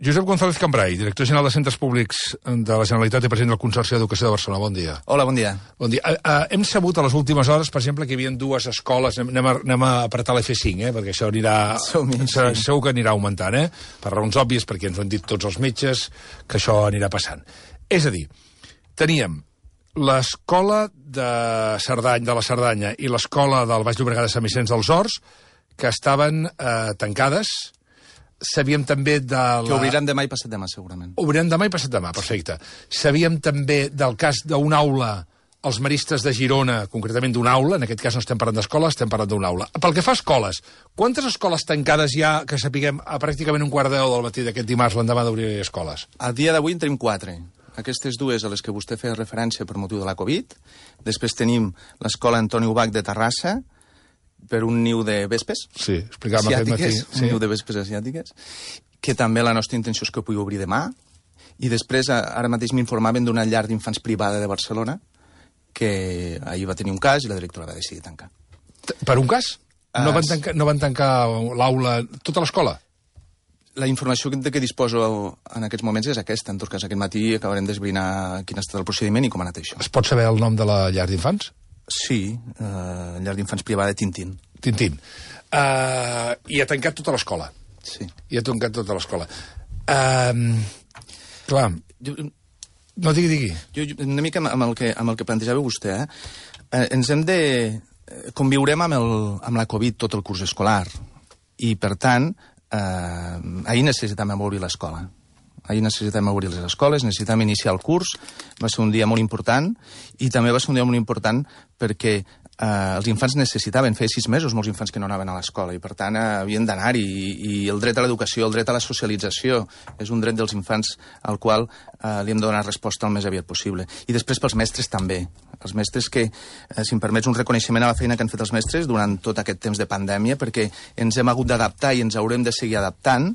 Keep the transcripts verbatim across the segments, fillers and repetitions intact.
Josep González Cambrai, director general de Centres Públics de la Generalitat i president del Consorci d'Educació de Barcelona. Bon dia. Hola, bon dia. Bon dia. Uh, uh, hem sabut a les últimes hores, per exemple, que hi havia dues escoles, anem a, anem a apretar l'F cinc, eh, perquè això anirà... Sí. Segur que anirà augmentant, eh? Per raons òbvies, perquè ens ho han dit tots els metges, que això anirà passant. És a dir, teníem l'escola de Cerdanya, de la Cerdanya i l'escola del Baix Llobregat de Sant Vicenç dels Horts, que estaven eh, tancades. Sabíem també de la... Que obriran demà i passat demà, segurament. Obriran demà i passat demà, perfecte. Sabíem també del cas d'una aula, els maristes de Girona, concretament d'una aula, en aquest cas no estem parlant d'escola, estem parlant d'una aula. Pel que fa a escoles, quantes escoles tancades hi ha, que sapiguem, a pràcticament un quart de deu del matí d'aquest dimarts, l'endemà d'obrir escoles? A dia d'avui en tenim quatre. Aquestes dues a les que vostè feia referència per motiu de la Covid. Després tenim l'escola Antoni Ubach de Terrassa, per un niu de vespes. Sí, explicàvem aquest matí. Sí. Un niu de vespes asiàtiques, que també la nostra intenció és que pugui obrir demà. I després, ara mateix m'informaven d'una llar d'infants privada de Barcelona, que ahir va tenir un cas i la directora va decidir tancar. Per un cas? No van tancar, no van tancar l'aula, tota l'escola? La informació de què disposo en aquests moments és aquesta. En tot cas, aquest matí acabarem d'esbrinar quin ha estat el procediment i com ha anat això. Es pot saber el nom de la llar d'infants? Sí, uh, llar d'infants privada Tintín. Tintín. Uh, I ha tancat tota l'escola. Sí. I ha tancat tota l'escola. Uh, clar, jo, no, digui, digui. Jo, una mica amb el que, amb el que plantejava vostè, eh? Uh, ens hem de... Conviurem amb, el, amb la Covid tot el curs escolar. I, per tant, uh, ahir necessitem obrir l'escola. Ahir necessitem obrir les escoles, necessitem iniciar el curs. Va ser un dia molt important i també va ser un dia molt important perquè eh, els infants necessitaven, feia sis mesos molts infants que no anaven a l'escola i per tant eh, havien d'anar-hi i, i el dret a l'educació, el dret a la socialització és un dret dels infants al qual eh, li hem de donar resposta el més aviat possible. I després pels mestres també. Els mestres que, eh, si em permets un reconeixement a la feina que han fet els mestres durant tot aquest temps de pandèmia perquè ens hem hagut d'adaptar i ens haurem de seguir adaptant.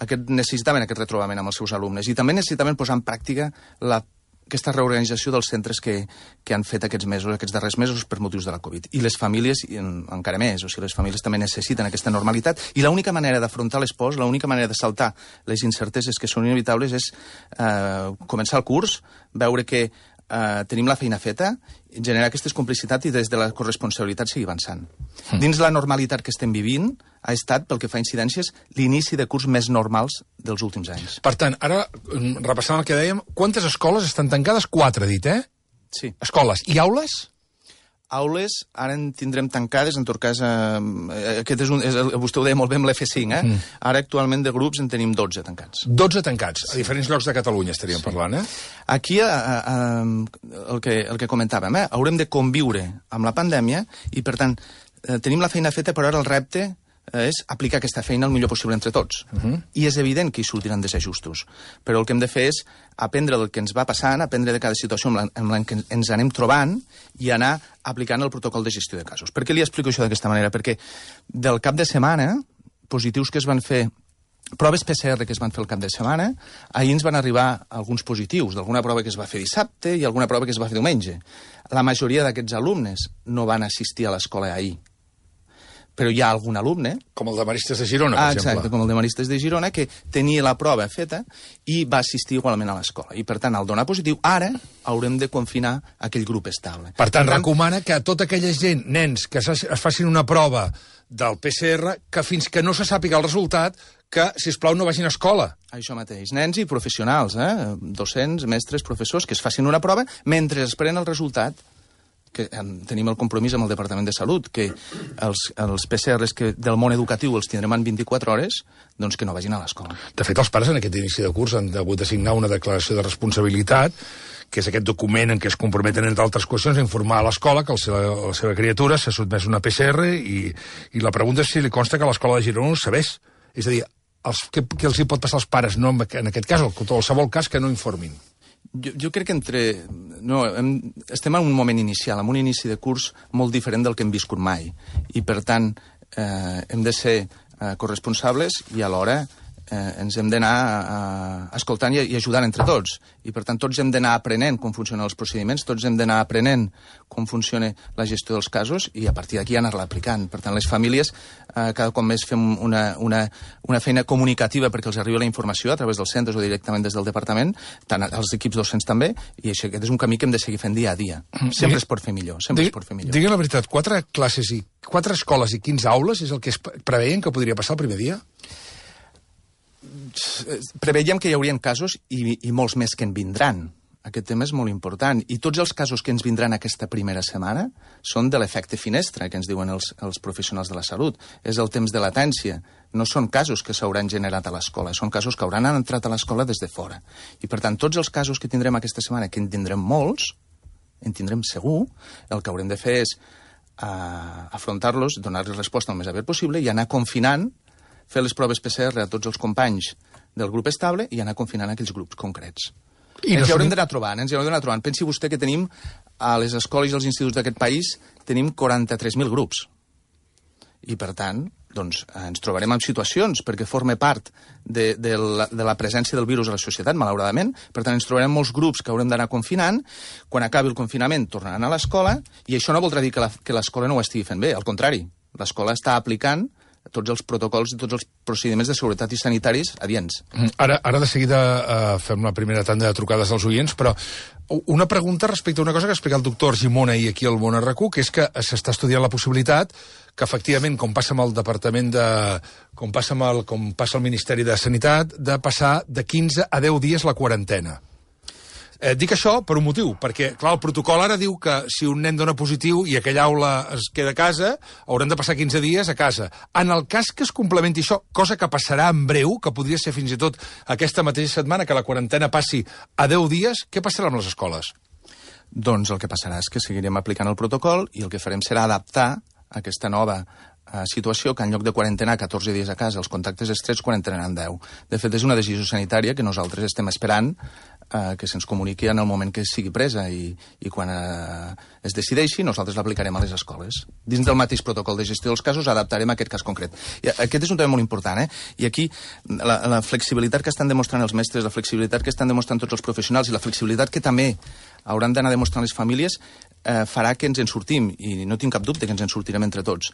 Aquest, necessitaven aquest retrobament amb els seus alumnes i també necessitaven posar en pràctica la, aquesta reorganització dels centres que, que han fet aquests mesos, aquests darrers mesos per motius de la Covid. I les famílies, i en, encara més, o sigui, les famílies també necessiten aquesta normalitat i l'única manera d'afrontar les pors, l'única manera de saltar les incerteses que són inevitables és eh, començar el curs, veure que Uh, tenim la feina feta, generar aquestes complicitats i des de la corresponsabilitat seguir avançant. Mm. Dins la normalitat que estem vivint ha estat, pel que fa a incidències, l'inici de curs més normals dels últims anys. Per tant, ara, repassant el que dèiem, quantes escoles estan tancades? Quatre, dit, eh? Sí. Escoles. I aules? Aules, ara en tindrem tancades, en tot cas, eh, aquest és un, és, vostè ho deia molt bé amb l'F cinc, eh? Mm. Ara actualment de grups en tenim dotze tancats. dotze tancats, a diferents llocs de Catalunya estaríem sí. parlant, eh? Aquí, eh, eh, el, que, el que comentàvem, eh? haurem de conviure amb la pandèmia i, per tant, eh, tenim la feina feta, però ara el repte és aplicar aquesta feina el millor possible entre tots. Uh -huh. I és evident que hi sortiran desajustos. Però el que hem de fer és aprendre del que ens va passant, aprendre de cada situació amb la, amb la que ens anem trobant i anar aplicant el protocol de gestió de casos. Per què li explico això d'aquesta manera? Perquè del cap de setmana, positius que es van fer, proves P C R que es van fer el cap de setmana, ahir ens van arribar alguns positius, d'alguna prova que es va fer dissabte i alguna prova que es va fer diumenge. La majoria d'aquests alumnes no van assistir a l'escola ahir. Però hi ha algun alumne... Com el de Maristes de Girona, per ah, exemple. Exacte, com el de Maristes de Girona, que tenia la prova feta i va assistir igualment a l'escola. I, per tant, al donar positiu, ara haurem de confinar aquell grup estable. Per tant, per tant recomana que tota aquella gent, nens, que es facin una prova del P C R, que fins que no se sàpiga el resultat, que, sisplau, no vagin a escola. Això mateix. Nens i professionals, eh? Docents, mestres, professors, que es facin una prova mentre esperen el resultat, que tenim el compromís amb el Departament de Salut, que els, els P C Rs que del món educatiu els tindrem en vint-i-quatre hores, doncs que no vagin a l'escola. De fet, els pares en aquest inici de curs han hagut de signar una declaració de responsabilitat, que és aquest document en què es comprometen, entre altres qüestions, a informar a l'escola que el seva, la seva criatura s'ha sotmès a una P C R i, i la pregunta és si li consta que l'escola de Girona ho sabés. És a dir, els, què, què els hi pot passar als pares, no, en aquest cas, o en qualsevol cas, que no informin? Jo, jo crec que entre... No, hem, estem en un moment inicial, en un inici de curs molt diferent del que hem viscut mai. I, per tant, eh, hem de ser eh, corresponsables i alhora eh, ens hem d'anar eh, escoltant i, i ajudant entre tots. I, per tant, tots hem d'anar aprenent com funcionen els procediments, tots hem d'anar aprenent com funciona la gestió dels casos i a partir d'aquí anar-la aplicant. Per tant, les famílies eh, cada cop més fem una, una, una feina comunicativa perquè els arriba la informació a través dels centres o directament des del departament, tant els equips docents també, i això, aquest és un camí que hem de seguir fent dia a dia. Sempre es pot fer millor, sempre es pot fer millor. Digui la veritat, quatre classes i quatre escoles i quinze aules és el que es preveien que podria passar el primer dia? Preveiem que hi haurien casos i, i molts més que en vindran. Aquest tema és molt important. I tots els casos que ens vindran aquesta primera setmana són de l'efecte finestra, que ens diuen els, els professionals de la salut. És el temps de latència. No són casos que s'hauran generat a l'escola, són casos que hauran entrat a l'escola des de fora. I, per tant, tots els casos que tindrem aquesta setmana, que en tindrem molts, en tindrem segur, el que haurem de fer és uh, afrontar-los, donar-los resposta el més aviat possible i anar confinant, fer les proves P C R a tots els companys del grup estable i anar confinant aquells grups concrets. I ens hi haurem d'anar trobant, ens hi haurem d'anar trobant. Pensi vostè que tenim, a les escoles i als instituts d'aquest país, tenim quaranta-tres mil grups. I, per tant, doncs, ens trobarem en situacions, perquè forma part de, de, la, de la presència del virus a la societat, malauradament. Per tant, ens trobarem molts grups que haurem d'anar confinant. Quan acabi el confinament, tornaran a l'escola, i això no voldrà dir que l'escola no ho estigui fent bé. Al contrari, l'escola està aplicant tots els protocols i tots els procediments de seguretat i sanitaris adients. Ara, ara de seguida uh, fem la primera tanda de trucades als oients, però una pregunta respecte a una cosa que ha explicat el doctor Argimon ahir aquí al Món R Q, que és que s'està estudiant la possibilitat que, efectivament, com passa amb el Departament de... com passa amb el, com passa al Ministeri de Sanitat, de passar de quinze a deu dies la quarantena. Eh, dic això per un motiu, perquè, clar, el protocol ara diu que si un nen dona positiu i aquella aula es queda a casa, hauran de passar quinze dies a casa. En el cas que es complementi això, cosa que passarà en breu, que podria ser fins i tot aquesta mateixa setmana, que la quarantena passi a deu dies, què passarà amb les escoles? Doncs el que passarà és que seguirem aplicant el protocol i el que farem serà adaptar aquesta nova eh, situació que en lloc de quarantenar catorze dies a casa, els contactes estrets quarantenaran deu. De fet, és una decisió sanitària que nosaltres estem esperant eh, que se'ns comuniqui en el moment que sigui presa i, i quan eh, es decideixi nosaltres l'aplicarem a les escoles. Dins del mateix protocol de gestió dels casos adaptarem aquest cas concret. I aquest és un tema molt important, eh? I aquí la, la flexibilitat que estan demostrant els mestres, la flexibilitat que estan demostrant tots els professionals i la flexibilitat que també hauran d'anar demostrant les famílies eh, farà que ens en sortim, i no tinc cap dubte que ens en sortirem entre tots.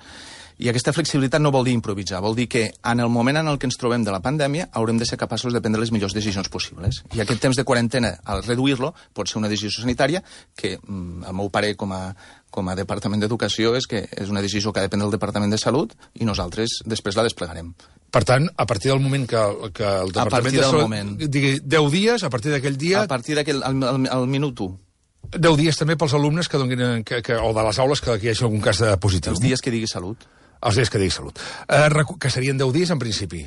I aquesta flexibilitat no vol dir improvisar, vol dir que en el moment en el que ens trobem de la pandèmia haurem de ser capaços de prendre les millors decisions possibles. I aquest temps de quarantena, al reduir-lo, pot ser una decisió sanitària que, al meu parer, com a, com a Departament d'Educació, és que és una decisió que depèn del Departament de Salut i nosaltres després la desplegarem. Per tant, a partir del moment que, que el Departament de Salut moment. digui deu dies, a partir d'aquell dia... A partir d'aquell, al, al, al minut u. deu dies també pels alumnes que donin, que, que, o de les aules que, que hi hagi algun cas de positiu. Els dies que digui Salut. Els dies que digui Salut. Eh, que serien deu dies en principi.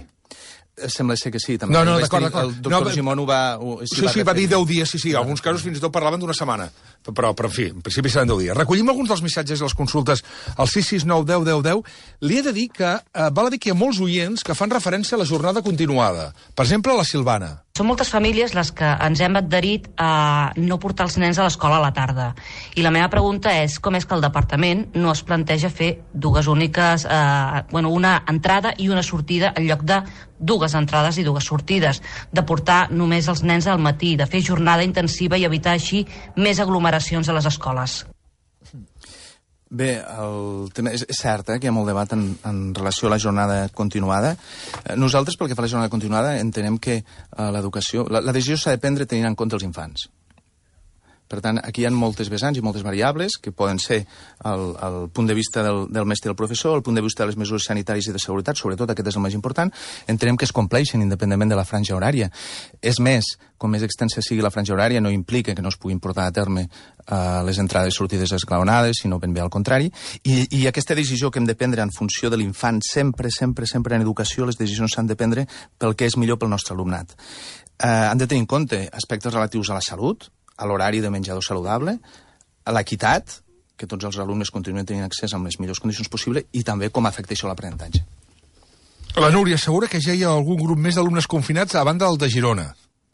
Sembla ser que sí, també. No, no, d'acord, d'acord. El doctor no, Gimón ho va... Ho, sí, sí, sí va dir deu dies, sí, sí. Alguns casos fins i tot parlaven d'una setmana. Però, però, en fi, en principi seran deu dies. Recollim alguns dels missatges i les consultes al sis sis nou deu deu deu. Li he de dir que eh, val a dir que hi ha molts oients que fan referència a la jornada continuada. Per exemple, la Silvana. Són moltes famílies les que ens hem adherit a no portar els nens a l'escola a la tarda. I la meva pregunta és com és que el departament no es planteja fer dues úniques, eh, bueno, una entrada i una sortida en lloc de dues entrades i dues sortides, de portar només els nens al matí, de fer jornada intensiva i evitar així més aglomeracions a les escoles. Bé, el tema és, és cert eh, que hi ha molt debat en, en relació a la jornada continuada. Nosaltres, pel que fa a la jornada continuada, entenem que eh, l'educació... La, la decisió s'ha de prendre tenint en compte els infants. Per tant, aquí hi ha moltes vessants i moltes variables que poden ser el, el punt de vista del, del mestre i del professor, el punt de vista de les mesures sanitàries i de seguretat, sobretot aquest és el més important. Entenem que es compleixen independentment de la franja horària. És més, com més extensa sigui la franja horària, no implica que no es puguin portar a terme uh, les entrades i sortides esglaonades, sinó ben bé al contrari. I, I aquesta decisió que hem de prendre en funció de l'infant, sempre, sempre, sempre en educació, les decisions s'han de prendre pel que és millor pel nostre alumnat. Uh, han de tenir en compte aspectes relatius a la salut, a l'horari de menjador saludable, a l'equitat, que tots els alumnes continuen tenint accés amb les millors condicions possibles, i també com afecta això l'aprenentatge. La Núria assegura que ja hi ha algun grup més d'alumnes confinats a banda del de Girona.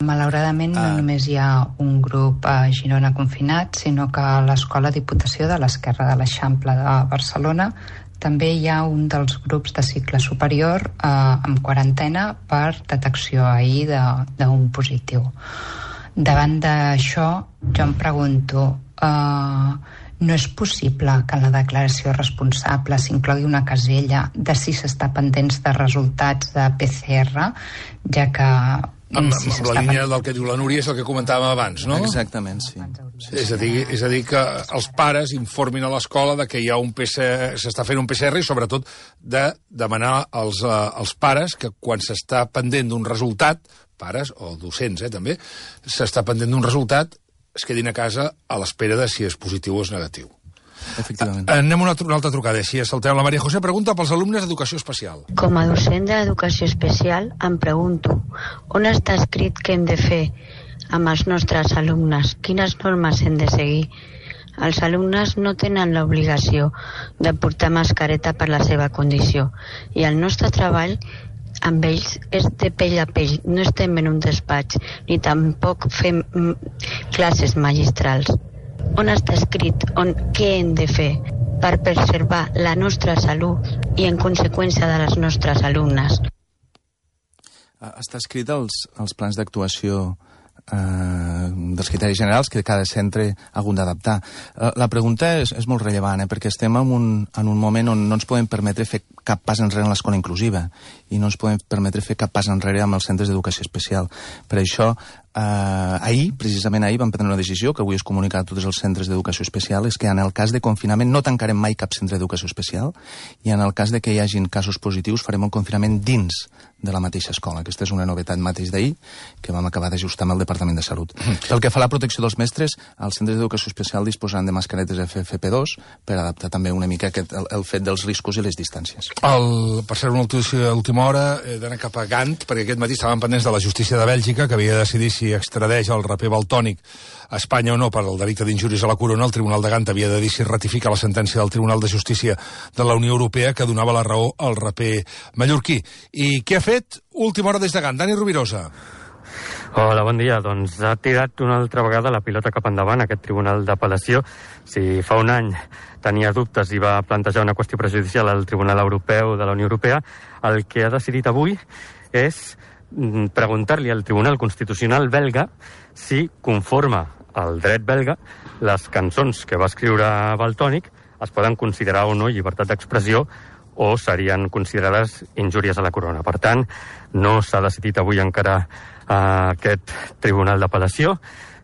Malauradament no ah. només hi ha un grup a Girona confinat, sinó que a l'Escola Diputació de l'Esquerra de l'Eixample de Barcelona també hi ha un dels grups de cicle superior eh, amb quarantena per detecció ahir d'un positiu. Davant d'això, jo em pregunto, eh, no és possible que en la declaració responsable s'inclogui una casella de si s'està pendents de resultats de P C R, ja que... Amb, si amb la línia del que diu la Núria és el que comentàvem abans, no? Exactament, sí. sí, és, a dir, és a dir que els pares informin a l'escola de que hi ha un P C R, s'està fent un P C R i sobretot de demanar als, uh, als pares que quan s'està pendent d'un resultat, pares o docents eh, també, s'està pendent d'un resultat, es quedin a casa a l'espera de si és positiu o és negatiu. Efectivament. Anem a una, una altra trucada, així saltem. La Maria José pregunta pels alumnes d'educació especial. Com a docent d'educació especial em pregunto on està escrit què hem de fer amb els nostres alumnes, quines normes hem de seguir. Els alumnes no tenen l'obligació de portar mascareta per la seva condició i el nostre treball amb ells és de pell a pell, no estem en un despatx ni tampoc fem classes magistrals. On està escrit on, què hem de fer per preservar la nostra salut i en conseqüència de les nostres alumnes? Està escrit als, als plans d'actuació eh, dels criteris generals que cada centre ha hagut d'adaptar. Eh, la pregunta és, és molt rellevant, eh, perquè estem en un, en un moment on no ens podem permetre fer cap pas enrere en l'escola inclusiva i no ens podem permetre fer cap pas enrere amb els centres d'educació especial. Per això, eh, ahir, precisament ahir, vam prendre una decisió que avui es comunica a tots els centres d'educació especial, és que en el cas de confinament no tancarem mai cap centre d'educació especial i en el cas de que hi hagin casos positius farem el confinament dins de la mateixa escola. Aquesta és una novetat mateix d'ahir que vam acabar d'ajustar amb el Departament de Salut. Pel que fa a la protecció dels mestres, els centres d'educació especial disposaran de mascaretes F F P dos per adaptar també una mica aquest, el, el fet dels riscos i les distàncies. El, per ser una última hora, he d'anar cap a Gant, perquè aquest matí estaven pendents de la justícia de Bèlgica, que havia de decidir si extradeix el raper Valtònyc a Espanya o no per al delicte d'injúries a la corona. El Tribunal de Gant havia de dir si ratifica la sentència del Tribunal de Justícia de la Unió Europea que donava la raó al raper mallorquí. I què ha fet? Última hora des de Gant. Dani Rovirosa. Hola, bon dia. Doncs ha tirat una altra vegada la pilota cap endavant aquest Tribunal d'Apel·lació. Si fa un any tenia dubtes i va plantejar una qüestió prejudicial al Tribunal Europeu de la Unió Europea, el que ha decidit avui és preguntar-li al Tribunal Constitucional belga si conforma al dret belga les cançons que va escriure Valtònyc es poden considerar o no llibertat d'expressió o serien considerades injúries a la corona. Per tant, no s'ha decidit avui encara eh, aquest Tribunal d'Apel·lació,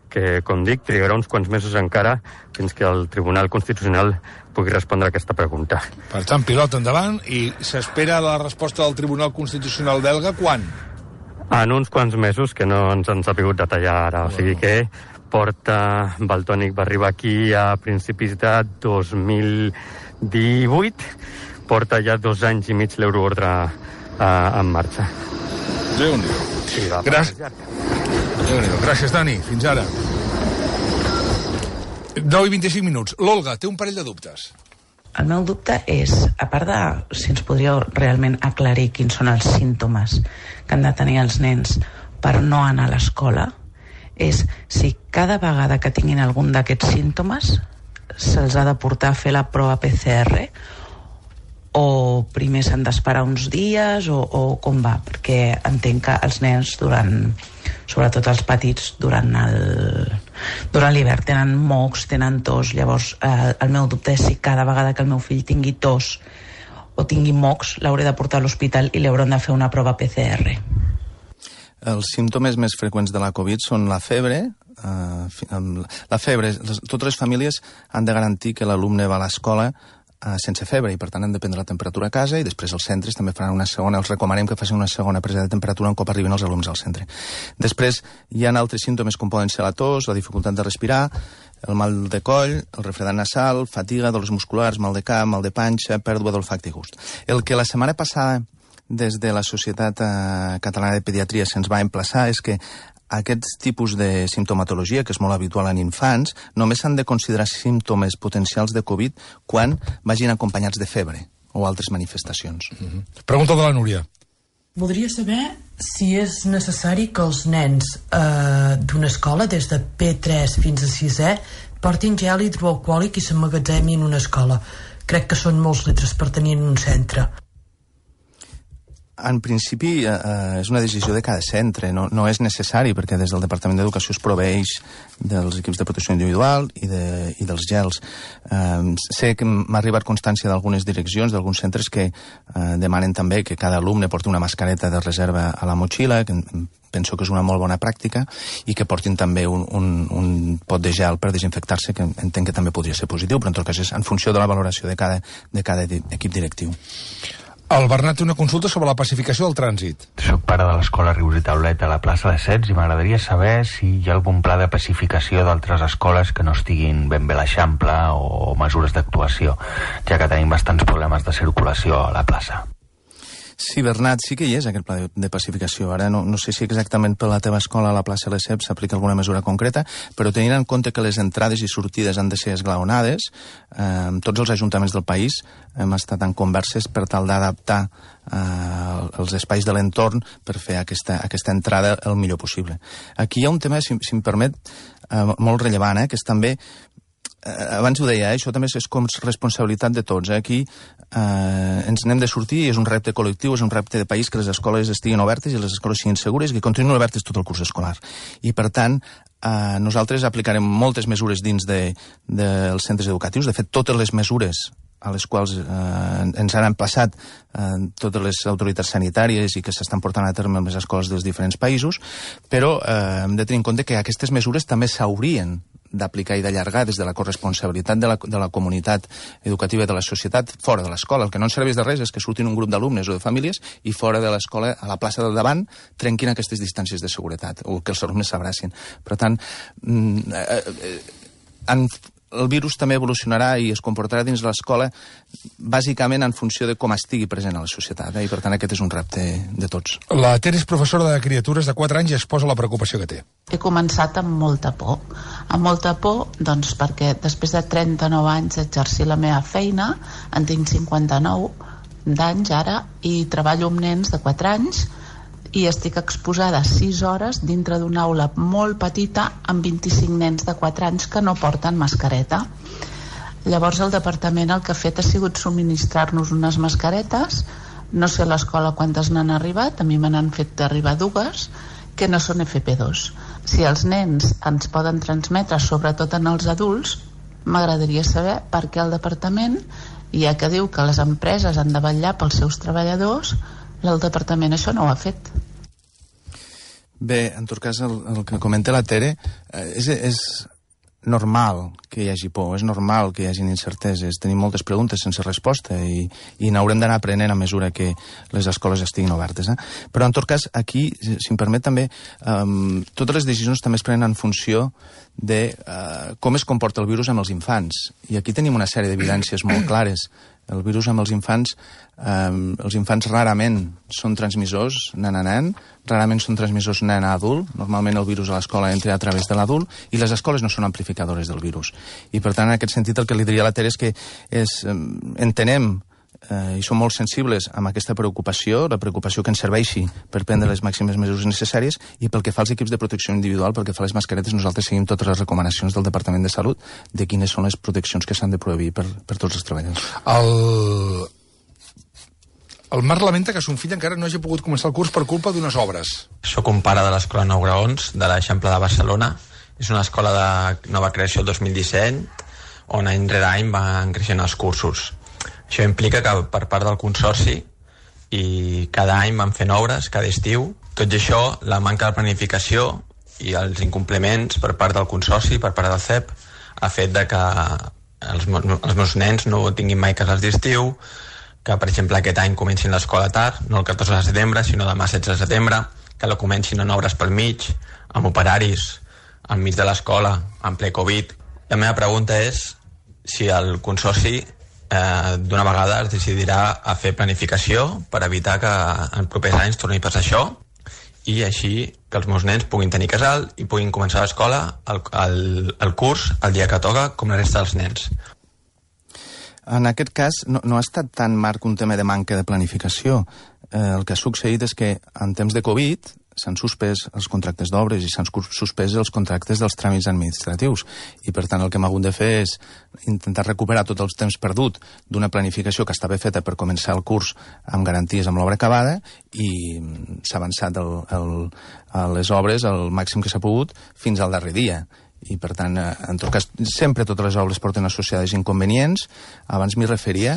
que, com dic, trigarà uns quants mesos encara fins que el Tribunal Constitucional pugui respondre a aquesta pregunta. Per tant, pilota endavant, i s'espera la resposta del Tribunal Constitucional belga quan? En uns quants mesos, que no ens han sabut detallar ara. O sigui que porta... Valtònyc va arribar aquí a principis de dos mil divuit, porta ja dos anys i mig l'euroordre eh, en marxa. Déu-n'hi-do. Sí, Gràcies. Déu-n'hi-do. Gràcies, Dani. Fins ara. nou i vint-i-cinc minuts. L'Olga té un parell de dubtes. El meu dubte és, a part de si ens podríeu realment aclarir quins són els símptomes que han de tenir els nens per no anar a l'escola, és si cada vegada que tinguin algun d'aquests símptomes se'ls ha de portar a fer la prova P C R o primer s'han d'esperar uns dies o, o com va, perquè entenc que els nens durant, sobretot els petits, durant el durant l'hivern tenen mocs, tenen tos, llavors eh, el meu dubte és si cada vegada que el meu fill tingui tos o tingui mocs l'hauré de portar a l'hospital i li hauran de fer una prova P C R. Els símptomes més freqüents de la Covid són la febre, eh, la febre, les, totes les famílies han de garantir que l'alumne va a l'escola Uh, sense febre i per tant han de prendre la temperatura a casa i després els centres també faran una segona, els recomanem que facin una segona presa de temperatura un cop arriben els alumnes al centre. Després hi ha altres símptomes com poden ser la tos, la dificultat de respirar, el mal de coll, el refredat nasal, fatiga, dolors musculars, mal de cap, mal de panxa, pèrdua d'olfacte i gust. El que la setmana passada des de la Societat uh, Catalana de Pediatria se'ns va emplaçar és que aquests tipus de simptomatologia, que és molt habitual en infants, només s'han de considerar símptomes potencials de Covid quan vagin acompanyats de febre o altres manifestacions. Mm-hmm. Pregunta de la Núria. Voldria saber si és necessari que els nens eh, d'una escola, des de P tres fins a sisè, portin gel hidroalcohòlic i s'emmagatzemin en una escola. crec que són molts litres per tenir en un centre. En principi eh, és una decisió de cada centre, no, no és necessari perquè des del Departament d'Educació es proveeix dels equips de protecció individual i, de, i dels gels. Eh, sé que m'ha arribat constància d'algunes direccions, d'alguns centres que eh, demanen també que cada alumne porti una mascareta de reserva a la motxilla, que penso que és una molt bona pràctica, i que portin també un, un, un pot de gel per desinfectar-se, que entenc que també podria ser positiu, però en tot cas és en funció de la valoració de cada, de cada equip directiu. El Bernat té una consulta sobre la pacificació del trànsit. Soc pare de l'escola Rius i Taulet a la plaça de Sets i m'agradaria saber si hi ha algun pla de pacificació d'altres escoles que no estiguin ben bé a l'Eixample o mesures d'actuació, ja que tenim bastants problemes de circulació a la plaça. Sí, Bernat, sí que hi és aquest pla de, de pacificació. Ara no, no sé si exactament per la teva escola a la plaça Lesseps s'aplica alguna mesura concreta, però tenint en compte que les entrades i sortides han de ser esglaonades, eh, tots els ajuntaments del país hem estat en converses per tal d'adaptar eh, els espais de l'entorn per fer aquesta, aquesta entrada el millor possible. Aquí hi ha un tema, si, si em permet, eh, molt rellevant, eh, que és també abans ho deia, eh? Això també és com responsabilitat de tots. Eh? Aquí eh, ens n'hem de sortir i és un repte col·lectiu, és un repte de país que les escoles estiguin obertes i les escoles siguin segures i que continuïn obertes tot el curs escolar. I per tant, eh, nosaltres aplicarem moltes mesures dins de, de, dels centres educatius. De fet, totes les mesures a les quals eh, ens han emplaçat eh, totes les autoritats sanitàries i que s'estan portant a terme en les escoles dels diferents països, però eh, hem de tenir en compte que aquestes mesures també s'haurien d'aplicar i d'allargar des de la corresponsabilitat de la, de la comunitat educativa i de la societat fora de l'escola. El que no ens serveix de res és que surtin un grup d'alumnes o de famílies i fora de l'escola, a la plaça del davant, trenquin aquestes distàncies de seguretat o que els alumnes s'abracin. Per tant, eh, eh, en el virus també evolucionarà i es comportarà dins l'escola bàsicament en funció de com estigui present a la societat, eh? I per tant aquest és un repte de tots. La Tere és professora de criatures de quatre anys i exposa la preocupació que té. He començat amb molta por. Amb molta por, doncs, perquè després de trenta-nou anys d'exercir la meva feina, en tinc cinquanta-nou d'anys ara, i treballo amb nens de quatre anys, i estic exposada sis hores dintre d'una aula molt petita amb vint-i-cinc nens de quatre anys que no porten mascareta. Llavors el departament el que ha fet ha sigut subministrar-nos unes mascaretes, no sé a l'escola quantes n'han arribat, a mi me n'han fet arribar dues, que no són F P dos. Si els nens ens poden transmetre, sobretot en els adults, m'agradaria saber per què el departament, ja que diu que les empreses han de vetllar pels seus treballadors, el departament això no ho ha fet. Bé, en tot cas, el, el que comenta la Tere, eh, és, és normal que hi hagi por, és normal que hi hagin incerteses, tenim moltes preguntes sense resposta i, i n'haurem d'anar aprenent a mesura que les escoles estiguin obertes. Eh? Però, en tot cas, aquí, si em permet també, eh, totes les decisions també es prenen en funció de eh, com es comporta el virus amb els infants. I aquí tenim una sèrie d'evidències molt clares. El virus amb els infants, eh, els infants rarament són transmissors nen a nen, rarament són transmissors nen a adult, normalment el virus a l'escola entra a través de l'adult, i les escoles no són amplificadores del virus. I per tant, en aquest sentit, el que li diria a la Tere és que és, eh, entenem eh, i som molt sensibles amb aquesta preocupació, la preocupació que ens serveixi per prendre les màximes mesures necessàries, i pel que fa als equips de protecció individual, pel que fa a les mascaretes, nosaltres seguim totes les recomanacions del Departament de Salut de quines són les proteccions que s'han de prohibir per, per tots els treballadors. El... El Marc lamenta que son fill encara no hagi pogut començar el curs per culpa d'unes obres. Soc un pare de l'escola Nou Graons, de l'Eixample de Barcelona. És una escola de nova creació el dos mil disset, on any rere any van creixent els cursos. Això implica que per part del consorci i cada any van fent obres, cada estiu. Tot i això, la manca de planificació i els incompliments per part del consorci, per part del C E P, ha fet de que els, els meus nens no tinguin mai casals d'estiu, que, per exemple, aquest any comencin l'escola tard, no el catorze de setembre, sinó demà setze de setembre, que la comencin en obres pel mig, amb operaris, enmig de l'escola, en ple Covid. La meva pregunta és si el consorci eh, d'una vegada es decidirà a fer planificació per evitar que en propers anys torni a passar això, i així que els meus nens puguin tenir casal i puguin començar l'escola, el, el, el curs, el dia que toca, com la resta dels nens. En aquest cas, no, no ha estat tan, Marc, un tema de manca de planificació. Eh, el que ha succeït és que en temps de Covid s'han suspès els contractes d'obres i s'han suspès els contractes dels tràmits administratius. I, per tant, el que hem hagut de fer és intentar recuperar tot el temps perdut d'una planificació que estava feta per començar el curs amb garanties amb l'obra acabada, i s'ha avançat el, el, a les obres al màxim que s'ha pogut fins al darrer dia. I, per tant, en tot cas, sempre totes les obres porten associades inconvenients. Abans m'hi referia.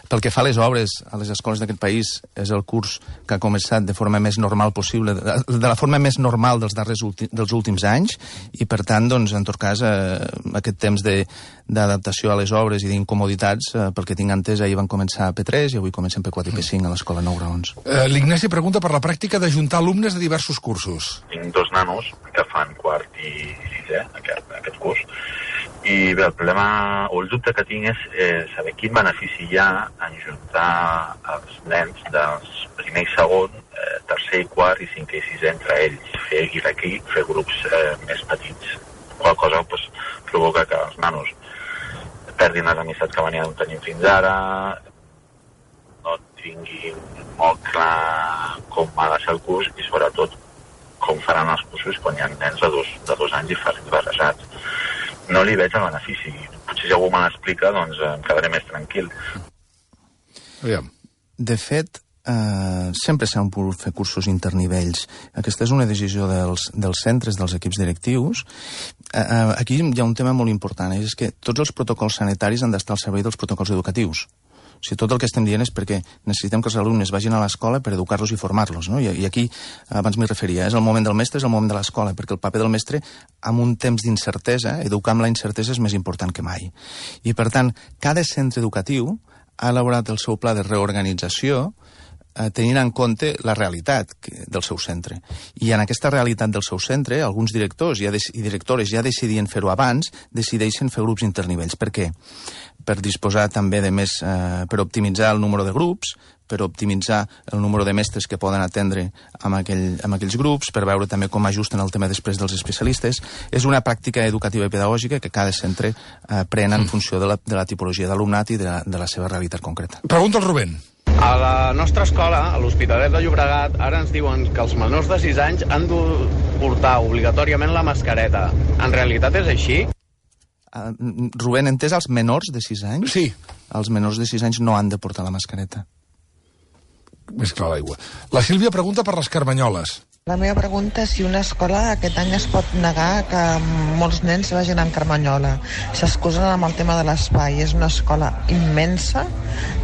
Pel que fa a les obres a les escoles d'aquest país, és el curs que ha començat de forma més normal possible, de la forma més normal dels darrers dels últims anys, i, per tant, doncs, en tot cas, eh, aquest temps de, d'adaptació a les obres i d'incomoditats, eh, pel que tinc entès, ahir van començar a P tres i avui comencem P quatre i P cinc a l'escola nou graons. Eh, L'Ignasi pregunta per la pràctica d'ajuntar alumnes de diversos cursos. Tinc dos nanos que fan quart i sisè, aquest, aquest curs, i bé, el problema o el dubte que tinc és eh, saber quin benefici hi ha en juntar els nens dels primer i segon, eh, tercer i quart i cinquè i sisè entre ells, fer aquí, fer grups eh, més petits. Qual cosa pues, provoca que els nanos perdin les amistats que venien tenint fins ara, no tinguin molt clar com ha de ser el curs i sobretot com faran els cursos quan hi ha nens de dos, de dos anys i barrejats. No li veig el benefici. Potser si algú me l'explica, doncs em quedaré més tranquil. Aviam. De fet, eh, sempre s'han pogut fer cursos internivells. Aquesta és una decisió dels, dels centres, dels equips directius. Eh, aquí hi ha un tema molt important, és que tots els protocols sanitaris han d'estar al servei dels protocols educatius. O sigui, tot el que estem dient és perquè necessitem que els alumnes vagin a l'escola per educar-los i formar-los, no? I, I aquí, abans m'hi referia, és el moment del mestre, és el moment de l'escola, perquè el paper del mestre, amb un temps d'incertesa, educar amb la incertesa és més important que mai. I, per tant, cada centre educatiu ha elaborat el seu pla de reorganització eh, tenint en compte la realitat que, del seu centre. I en aquesta realitat del seu centre, alguns directors ja i directores ja decidien fer-ho abans, decideixen fer grups internivells. Per què? Per disposar també de més, eh, per optimitzar el número de grups, per optimitzar el número de mestres que poden atendre amb, aquell, amb aquells grups, per veure també com ajusten el tema després dels especialistes. És una pràctica educativa i pedagògica que cada centre eh, pren en funció de la, de la tipologia d'alumnat i de la, de la seva realitat concreta. Pregunta el Rubén. A la nostra escola, a l'Hospitalet de Llobregat, ara ens diuen que els menors de sis anys han de portar obligatòriament la mascareta. En realitat és així? Uh, Rubén, entès els menors de sis anys? Sí. Els menors de sis anys no han de portar la mascareta. Més clar l'aigua. La Sílvia pregunta per les carmanyoles. La meva pregunta és si una escola aquest any es pot negar que molts nens vagin amb carmanyola. S'excusen amb el tema de l'espai. És una escola immensa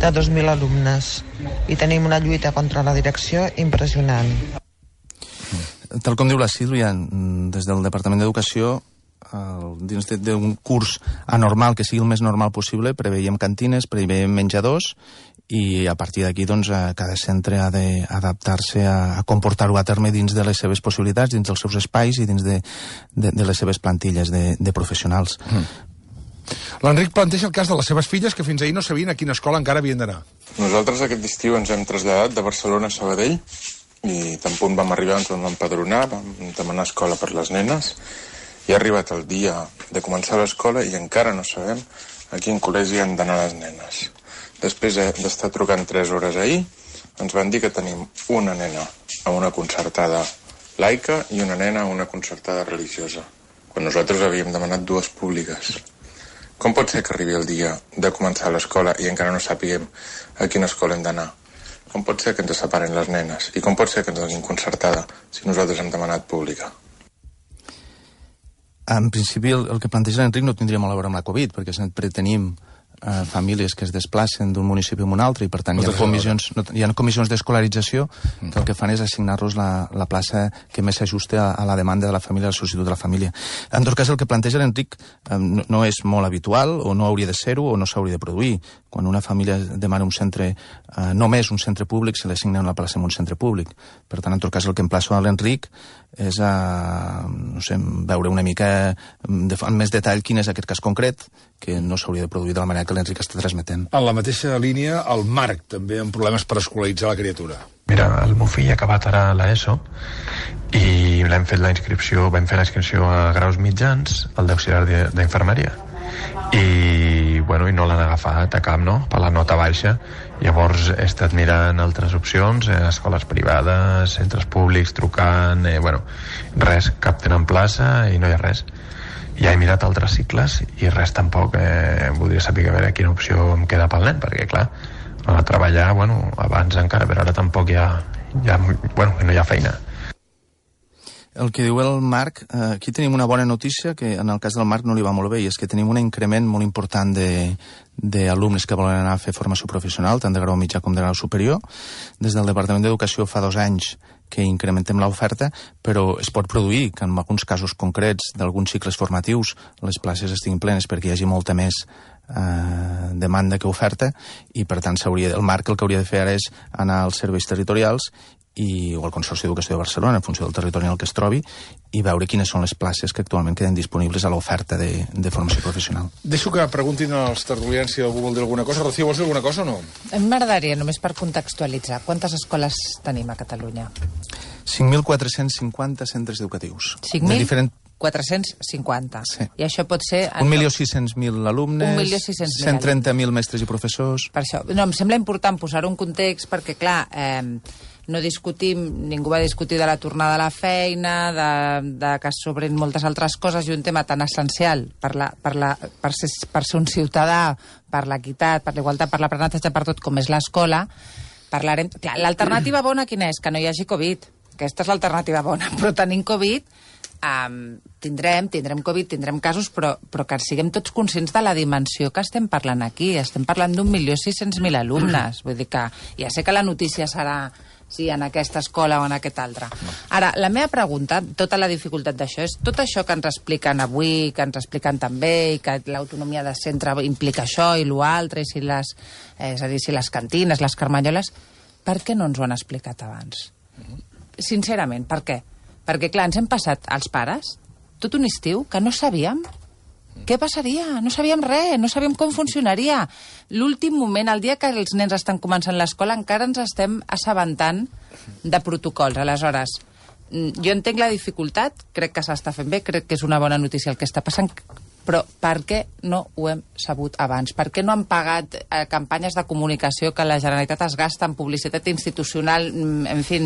de dos mil alumnes i tenim una lluita contra la direcció impressionant. Tal com diu la Sílvia, des del Departament d'Educació, dins d'un curs anormal, que sigui el més normal possible, preveiem cantines, preveiem menjadors, i a partir d'aquí doncs, cada centre ha d'adaptar-se a, a comportar-ho a terme dins de les seves possibilitats, dins dels seus espais i dins de, de, de les seves plantilles de, de professionals. Mm. L'Enric planteja el cas de les seves filles, que fins ahir no sabien a quina escola encara havien d'anar. Nosaltres aquest estiu ens hem traslladat de Barcelona a Sabadell i tan punt vam arribar, ens vam empadronar, vam demanar escola per les nenes i ha arribat el dia de començar l'escola i encara no sabem a quin col·legi han d'anar les nenes. Després d'estar trucant tres hores ahir, ens van dir que tenim una nena a una concertada laica i una nena a una concertada religiosa, quan nosaltres havíem demanat dues públiques. Com pot ser que arribi el dia de començar l'escola i encara no sàpiguem a quina escola hem d'anar? Com pot ser que ens separen les nenes? I com pot ser que ens donin concertada si nosaltres hem demanat pública? En principi, el, el que planteja l'Enric no tindria molt a veure amb la Covid, perquè sempre tenim eh, famílies que es desplacen d'un municipi a un altre i, per tant, hi ha comissions, no, hi ha comissions d'escolarització que el que fan és assignar-los la, la plaça que més s'ajuste a, a la demanda de la família, a la sol·licitud de la família. En tot cas, el que planteja l'Enric eh, no, no és molt habitual, o no hauria de ser-ho, o no s'hauria de produir. Quan una família demana un centre, eh, només un centre públic, se li assigna una plaça en un centre públic. Per tant, en tot cas, el que emplaço a l'Enric és a, no sé, veure una mica de, amb més detall quin és aquest cas concret, que no s'hauria de produir de la manera que l'Enric està transmetent. En la mateixa línia, el Marc, també amb problemes per escolaritzar la criatura. Mira, el meu fill ha acabat ara l'ESO i l'hem fet la inscripció, vam fer la inscripció a graus mitjans, al d'auxiliar d'infermeria. I bueno, i no l'han agafat a cap, no?, per la nota baixa. Llavors he estat mirant altres opcions, eh, escoles privades, centres públics, trucant, eh, bueno, res, cap tenen plaça i no hi ha res. Ja he mirat altres cicles i res tampoc. Eh, voldria saber a veure quina opció em queda pel nen, perquè clar, a treballar, bueno, abans encara, però ara tampoc hi ha, hi ha, bueno, no hi ha feina. El que diu el Marc, eh, aquí tenim una bona notícia, que en el cas del Marc no li va molt bé, i és que tenim un increment molt important d'alumnes que volen anar a fer formació professional, tant de grau mitjà com de grau superior. Des del Departament d'Educació fa dos anys que incrementem l'oferta, però es pot produir que en alguns casos concrets d'alguns cicles formatius les places estiguin plenes perquè hi hagi molta més eh, demanda que oferta, i per tant s'hauria, el Marc el que hauria de fer ara és anar als serveis territorials i, o al Consorci d'Educació de Barcelona, en funció del territori en el que es trobi, i veure quines són les places que actualment queden disponibles a l'oferta de, de formació professional. Deixo que preguntin als tertulians si algú vol dir alguna cosa. Rocío, vols dir alguna cosa o no? A mi m'agradaria, només per contextualitzar, quantes escoles tenim a Catalunya? cinc mil quatre-cents cinquanta centres educatius. cinc mil diferent... quatre-cents cinquanta. Sí. I això pot ser... un milió sis-cents mil alumnes, un milió sis-cents mil cent trenta mil mestres i professors... Per això, no, em sembla important posar-ho en context perquè, clar, eh, no discutim, ningú va discutir de la tornada a la feina, de, de que s'obrin moltes altres coses, i un tema tan essencial per, la, per, la, per, ser, per ser un ciutadà, per l'equitat, per l'igualtat, per l'aprenentatge, per tot, com és l'escola. Parlarem... Clar, l'alternativa bona quina és? Que no hi hagi Covid. Aquesta és l'alternativa bona, però tenint Covid... Um, tindrem, tindrem Covid, tindrem casos, però, però que siguem tots conscients de la dimensió que estem parlant aquí. Estem parlant d'un milió sis-cents mil alumnes. Vull dir que ja sé que la notícia serà si en aquesta escola o en aquesta altra. Ara, la meva pregunta, tota la dificultat d'això, és tot això que ens expliquen avui, que ens expliquen també, i que l'autonomia de centre implica això i l'altre, i si les, eh, és a dir, si les cantines, les carmanyoles, per què no ens ho han explicat abans? Sincerament, per què? Perquè, clar, ens hem passat, als pares, tot un estiu que no sabíem què passaria. No sabíem res, no sabíem com funcionaria. L'últim moment, el dia que els nens estan començant l'escola, encara ens estem assabentant de protocols. Aleshores, jo entenc la dificultat, crec que s'està fent bé, crec que és una bona notícia el que està passant, però per què no ho hem sabut abans? Per què no han pagat eh, campanyes de comunicació que la Generalitat es gasta en publicitat institucional? En fi,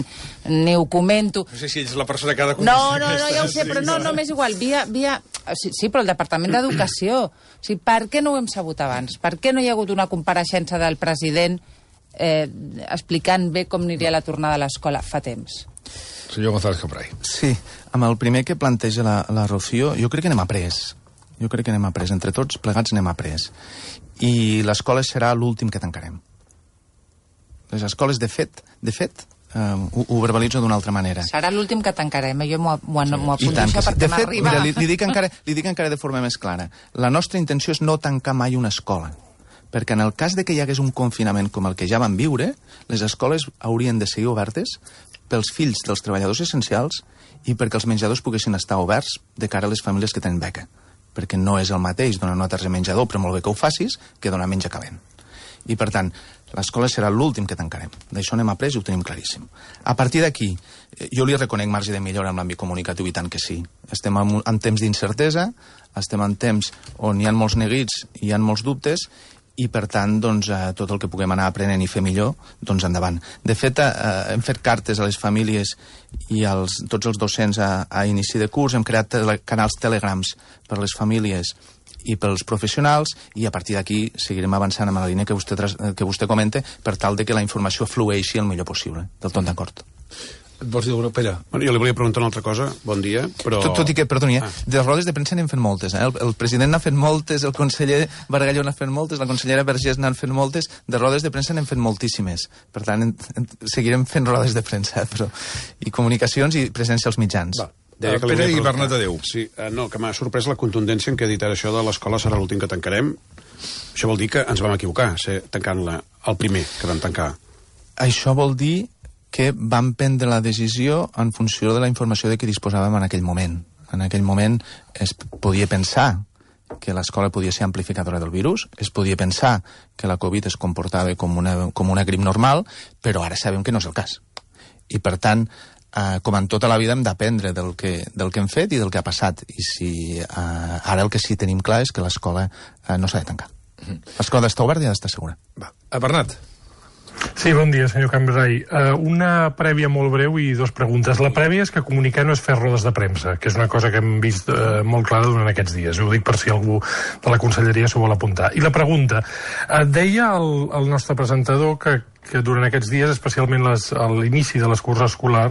ni ho comento. No sé si ets la persona que ha de No, no, no, ja ho sé, però no, no m'és igual. Via, via... Sí, sí, però el Departament d'Educació. O sigui, per què no ho hem sabut abans? Per què no hi ha hagut una compareixença del president eh, explicant bé com aniria la tornada a l'escola fa temps? Senyor González Cambray. Sí, amb el primer que planteja la, la Rocío, jo crec que anem après. Jo crec que anem après. Entre tots plegats anem après. I l'escola serà l'últim que tancarem. Les escoles, de fet, de fet, eh, ho, ho verbalitzo d'una altra manera. Serà l'últim que tancarem, jo m'ho apunto això perquè de fet, m'arriba... mira, li, li, dic encara, li dic encara de forma més clara. La nostra intenció és no tancar mai una escola, perquè en el cas de que hi hagués un confinament com el que ja vam viure, les escoles haurien de seguir obertes pels fills dels treballadors essencials i perquè els menjadors poguessin estar oberts de cara a les famílies que tenen beca, perquè no és el mateix donar una targeta de menjador, però molt bé que ho facis, que donar menjar calent. I, per tant, l'escola serà l'últim que tancarem. D'això anem après i ho tenim claríssim. A partir d'aquí, jo li reconec marge de millora en l'àmbit comunicatiu, i tant que sí. Estem en, en temps d'incertesa, estem en temps on hi ha molts neguits i hi ha molts dubtes, i, per tant, doncs, eh, tot el que puguem anar aprenent i fer millor, doncs endavant. De fet, eh, hem fet cartes a les famílies i als, tots els docents a, a inici de curs, hem creat tele, canals telegrams per a les famílies i pels professionals, i a partir d'aquí seguirem avançant amb la línia que vostè, que vostè comenta, per tal de que la informació flueixi el millor possible. Del tot d'acord. Et vols dir alguna cosa? Bueno, jo li volia preguntar una altra cosa. Bon dia, però... Tot, tot i que, perdoni, eh? Ah. De rodes de premsa n'hem fet moltes, eh? El, el president n'ha fet moltes, el conseller Bargalló n'ha fet moltes, la consellera Vergés n'han fet moltes, de rodes de premsa n'hem fet moltíssimes. Per tant, en, en, seguirem fent rodes de premsa, però... I comunicacions i presència als mitjans. Va. Uh, Pere i Bernat, adéu. Sí, uh, no, que m'ha sorprès la contundència en què ha dit ara això de l'escola serà l'últim que tancarem. Això vol dir que ens vam equivocar, ser tancant-la el primer que vam tancar. Això vol dir que vam prendre la decisió en funció de la informació de què disposàvem en aquell moment. En aquell moment es podia pensar que l'escola podia ser amplificadora del virus, es podia pensar que la Covid es comportava com una, com una grip normal, però ara sabem que no és el cas. I, per tant, eh, com en tota la vida hem d'aprendre del que, del que hem fet i del que ha passat. I si eh, ara el que sí tenim clar és que l'escola eh, no s'ha de tancar. L'escola d'estar oberta i ha d'estar segura. Va. A Bernat. Sí, bon dia, senyor Cambrai. Uh, una prèvia molt breu i dues preguntes. La prèvia és que comunicar no és fer rodes de premsa, que és una cosa que hem vist uh, molt clara durant aquests dies. Ho dic per si algú de la conselleria s'ho vol apuntar. I la pregunta, uh, deia el, el nostre presentador que que durant aquests dies, especialment les, a l'inici de l'escurs escolar,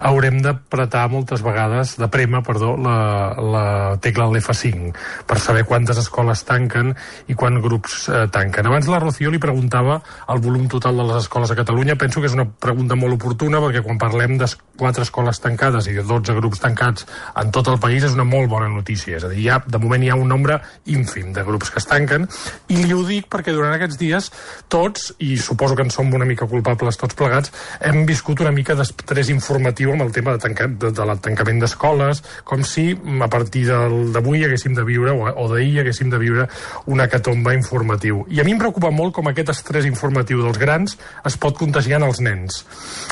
haurem d'apretar moltes vegades, de prema, perdó, la, la tecla de l'F cinc, per saber quantes escoles tanquen i quants grups eh, tanquen. Abans la Rocío li preguntava el volum total de les escoles a Catalunya. Penso que és una pregunta molt oportuna, perquè quan parlem de quatre escoles tancades i de dotze grups tancats en tot el país és una molt bona notícia. És a dir, ja, de moment hi ha un nombre ínfim de grups que es tanquen, i li ho dic perquè durant aquests dies tots, i suposo que en som una mica culpables tots plegats, hem viscut una mica d'estrès informatiu amb el tema de, tanca, de, de la tancament d'escoles, com si a partir d'avui haguéssim de viure, o, o d'ahir haguéssim de viure una hecatombe informatiu. I a mi em preocupa molt com aquest estrès informatiu dels grans es pot contagiar als nens,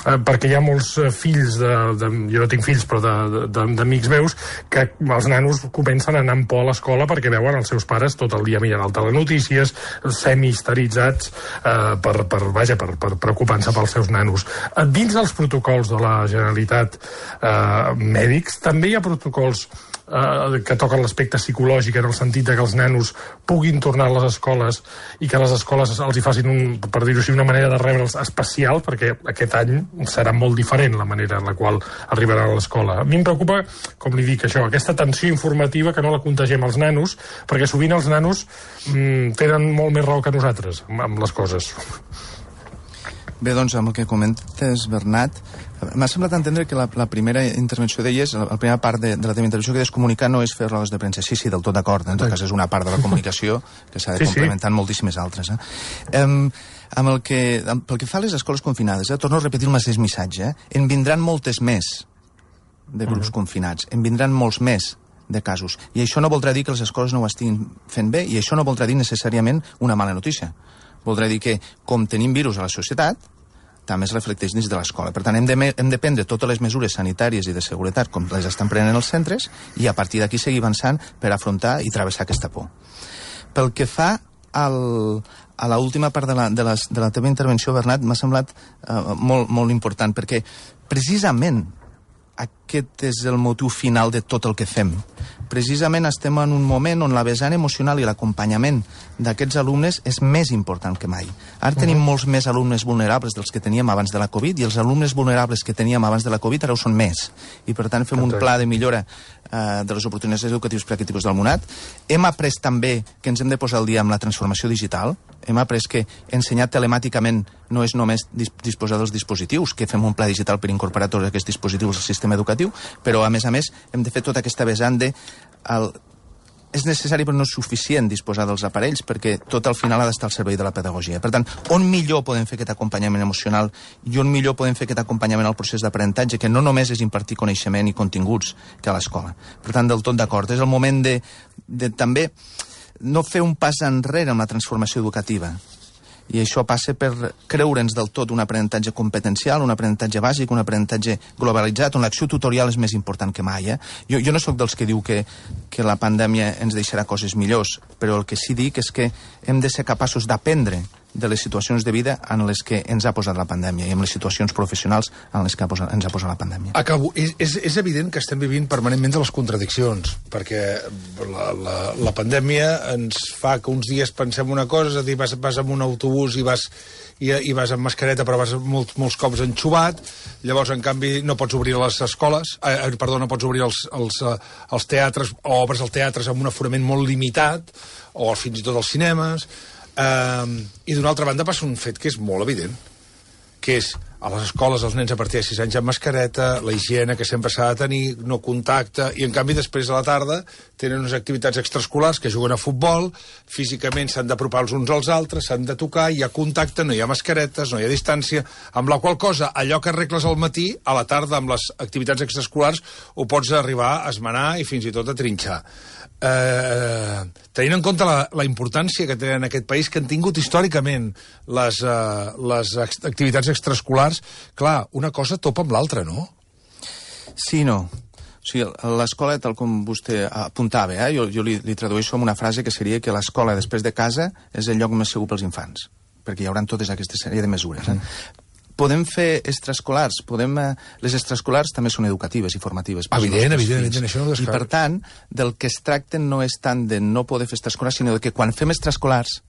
eh, perquè hi ha molts fills, de, de, jo no tinc fills, però d'amics meus, que els nanos comencen a anar amb por a l'escola perquè veuen els seus pares tot el dia mirant al telenotícies, semi-histeritzats, eh, per, per, vaja, per, per preocupant-se pels seus nanos. Dins dels protocols de la Generalitat eh, mèdics, també hi ha protocols eh, que toquen l'aspecte psicològic, en el sentit de que els nanos puguin tornar a les escoles i que les escoles els hi facin, un, per dir-ho així, una manera de rebre'ls especial, perquè aquest any serà molt diferent la manera en la qual arribaran a l'escola. A mi em preocupa, com li dic, això, aquesta tensió informativa, que no la contagiem als nanos, perquè sovint els nanos mm, tenen molt més raó que nosaltres amb les coses. Bé, doncs, amb el que comentes, Bernat, m'ha semblat entendre que la, la primera intervenció deies, la, la primera part de, de la teva intervenció, que deies comunicar no és fer rodes de premsa. Sí, sí, del tot d'acord. En tot cas, és una part de la comunicació que s'ha de sí, complementar en moltíssimes altres. Eh? Um, amb el que, amb, pel que fa a les escoles confinades, eh, torno a repetir el mateix missatge, eh? En vindran moltes més de grups uh-huh. confinats, en vindran molts més de casos. I això no voldrà dir que les escoles no ho estiguin fent bé, i això no voldrà dir necessàriament una mala notícia. Voldrà dir que, com tenim virus a la societat, també es reflecteix dins de l'escola. Per tant, hem de, hem de prendre totes les mesures sanitàries i de seguretat com les estan prenent els centres, i a partir d'aquí seguir avançant per afrontar i travessar aquesta por. Pel que fa al, a l'última part de la, de, les, de la teva intervenció, Bernat, m'ha semblat uh, molt, molt important, perquè precisament aquest és el motiu final de tot el que fem. Precisament estem en un moment on la vessant emocional i l'acompanyament d'aquests alumnes és més important que mai. Ara tenim uh-huh. molts més alumnes vulnerables dels que teníem abans de la Covid, i els alumnes vulnerables que teníem abans de la Covid ara ho són més. I per tant fem un pla de millora eh, de les oportunitats educatives per a aquest tipus d'alumnat. Hem après també que ens hem de posar al dia amb la transformació digital. Hem après que ensenyar telemàticament no és només disposar dels dispositius, que fem un pla digital per incorporar tots aquests dispositius al sistema educatiu, però a més a més hem de fer tota aquesta vessant de el, és necessari però no és suficient disposar dels aparells, perquè tot al final ha d'estar al servei de la pedagogia. Per tant, on millor podem fer aquest acompanyament emocional i on millor podem fer aquest acompanyament al procés d'aprenentatge, que no només és impartir coneixement i continguts que a l'escola. Per tant, del tot d'acord. És el moment de, de també no fer un pas enrere en la transformació educativa. I això passa per creure'ns del tot un aprenentatge competencial, un aprenentatge bàsic, un aprenentatge globalitzat, on l'acció tutorial és més important que mai. Eh? Jo, jo no sóc dels que diu que, que la pandèmia ens deixarà coses millors, però el que sí dic és que hem de ser capaços d'aprendre de les situacions de vida en les que ens ha posat la pandèmia i en les situacions professionals en les que ha posat, ens ha posat la pandèmia. Acabo. És, és, és evident que estem vivint permanentment de les contradiccions, perquè la, la, la pandèmia ens fa que uns dies pensem una cosa, és a dir, vas, vas amb un autobús i vas, i, i vas amb mascareta però vas molts, molts cops enxuvat, llavors en canvi no pots obrir les escoles, eh, perdó, no pots obrir els, els, els teatres, o obres els teatres amb un aforament molt limitat, o fins i tot els cinemes. Uh, i d'una altra banda passa un fet que és molt evident, que és a les escoles els nens a partir de sis anys amb mascareta, la higiene que sempre s'ha de tenir, no contacte, i en canvi després a la tarda tenen unes activitats extraescolars que juguen a futbol, físicament s'han d'apropar els uns als altres, s'han de tocar, hi ha contacte, no hi ha mascaretes, no hi ha distància, amb la qual cosa allò que arregles al matí, a la tarda amb les activitats extraescolars ho pots arribar a esmenar i fins i tot a trinxar. Eh, tenint en compte la, la importància que tenen en aquest país, que han tingut històricament les, eh, les activitats extraescolars, clar, una cosa topa amb l'altra, no? Sí, no. O sigui, l'escola, tal com vostè apuntava, eh, jo, jo li, li tradueixo amb una frase que seria que l'escola després de casa és el lloc més segur pels infants, perquè hi haurà totes aquesta sèrie de mesures. Eh? Mm. Podem fer extraescolars, podem, eh, les extraescolars també són educatives i formatives. Evident, evident, evident, això no ho I per tant, del que es tracta no és tant de no poder fer extraescolars, sinó de que quan fem extraescolars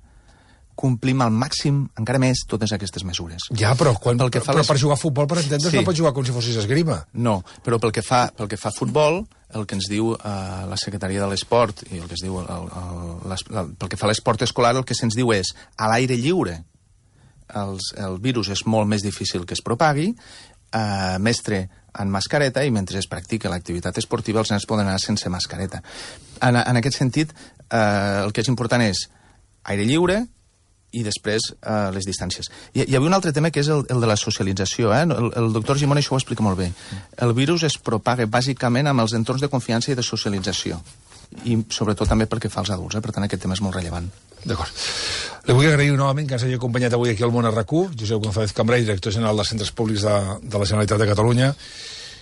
complim al màxim, encara més, totes aquestes mesures. Ja, però, quan, pel que fa però les... per jugar a futbol, per entendre's, sí. No pots jugar com si fossis esgrima. No, però pel que fa, pel que fa a futbol, el que ens diu eh, la Secretaria de l'Esport i el que es diu el, el, el, el, pel que fa a l'esport escolar, el que se'ns diu és a l'aire lliure els, el virus és molt més difícil que es propagui, eh, mestre en mascareta, i mentre es practica l'activitat esportiva els nens poden anar sense mascareta. En, en aquest sentit, eh, el que és important és aire lliure i després eh, les distàncies. Hi, hi havia un altre tema que és el, el de la socialització. Eh? El, el doctor Gimón això ho explica molt bé. El virus es propaga bàsicament amb els entorns de confiança i de socialització. I sobretot també perquè fa als adults. Eh? Per tant, aquest tema és molt rellevant. D'acord. Li vull agrair novament que ens hagi acompanyat avui aquí al Món R Q, Josep González Cambray, director general dels Centres Públics de, de la Generalitat de Catalunya.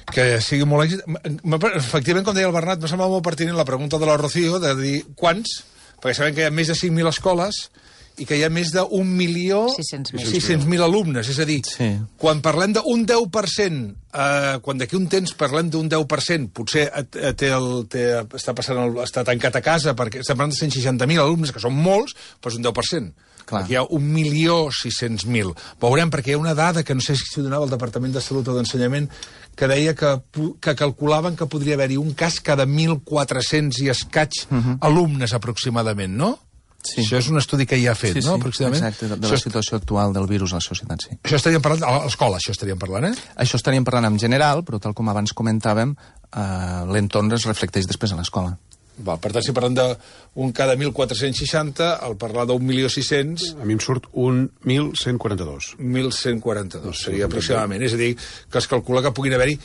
Que sigui molt èxit. Efectivament, com deia el Bernat, m'ha semblat molt pertinent la pregunta de la Rocío, de dir quants, perquè sabem que hi ha més de cinc mil escoles i que hi ha més d'un milió sis-cents mil alumnes. És a dir, sí. Quan parlem d'un deu per cent, eh, quan d'aquí un temps parlem d'un deu per cent, potser té el, té, està, passant el, està tancat a casa, perquè estem parlant de cent seixanta mil alumnes, que són molts, però és un deu per cent. Clar. Aquí hi ha un milió sis-cents mil. Veurem, perquè hi ha una dada que no sé si s'ho donava el Departament de Salut o d'Ensenyament, que deia que, que calculaven que podria haver-hi un cas cada mil quatre-cents i escaig uh-huh. alumnes aproximadament, no? Sí. Això és un estudi que ja ha fet, sí, no? Sí, aproximadament. Exacte, de, de la situació actual del virus a la societat, sí. Això estaríem parlant, a l'escola, això estaríem parlant, eh? Això estaríem parlant en general, però tal com abans comentàvem, eh, l'entorn es reflecteix després a l'escola. Va, per tant, si parlem d'un cada mil quatre-cents seixanta, al parlar d'un milió sis-cents... A mi em surt un mil cent quaranta-dos. mil cent quaranta-dos, seria aproximadament. És a dir, que es calcula que puguin haver-hi...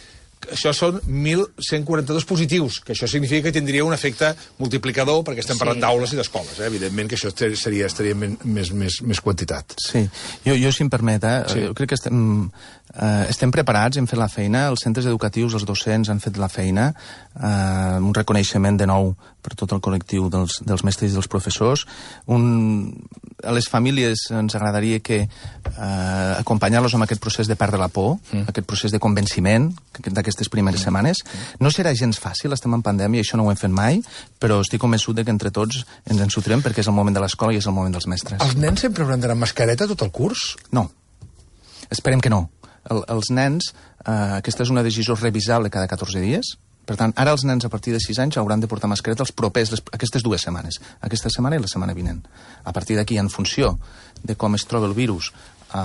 Això són mil cent quaranta-dos positius, que això significa que tindria un efecte multiplicador, perquè estem parlant sí. d'aules i d'escoles. Eh? Evidentment que això seria, estaria més, més, més quantitat. Sí, jo, jo si em permet, eh? Sí. Jo crec que estem, eh, estem preparats, hem fet la feina, els centres educatius, els docents han fet la feina, eh, un reconeixement de nou per tot el col·lectiu dels, dels mestres i dels professors. Un, a les famílies ens agradaria que eh, acompanyar-los amb aquest procés de perdre la por, mm. aquest procés de convenciment d'aquestes primeres mm. setmanes. No serà gens fàcil, estem en pandèmia, això no ho hem fet mai, però estic convençut de que entre tots ens en sortirem perquè és el moment de l'escola i és el moment dels mestres. Els nens sempre hauran d'anar amb mascareta tot el curs? No. Esperem que no. El, els nens, eh, aquesta és una decisió revisable cada catorze dies. Per tant, ara els nens a partir de sis anys hauran de portar mascareta els propers, les, aquestes dues setmanes. Aquesta setmana i la setmana vinent. A partir d'aquí, en funció de com es troba el virus a,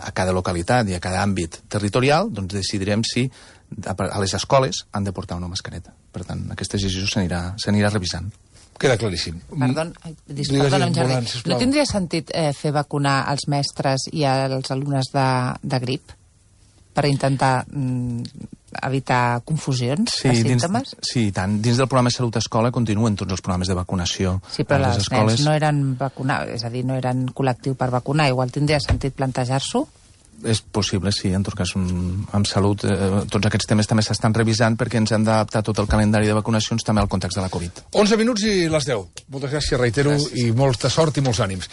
a cada localitat i a cada àmbit territorial, doncs decidirem si a, a les escoles han de portar una mascareta. Per tant, aquesta decisió s'anirà revisant. Queda claríssim. Perdó, perdona, Jordi. No tindria sentit eh, fer vacunar els mestres i els alumnes de, de grip per intentar mm, evitar confusions sí, de símptomes? Dins, sí, tant. Dins del programa Salut Escola continuen tots els programes de vacunació. Sí, però les els escoles... nens no eren vacunats, és a dir, no eren col·lectiu per vacunar. Igual tindria sentit plantejar-s'ho? És possible, sí, en tot cas, amb salut, eh, tots aquests temes també s'estan revisant perquè ens hem d'adaptar tot el calendari de vacunacions també al context de la Covid. onze minuts i les deu. Moltes gràcies, reitero, gràcies. I molta sort i molts ànims.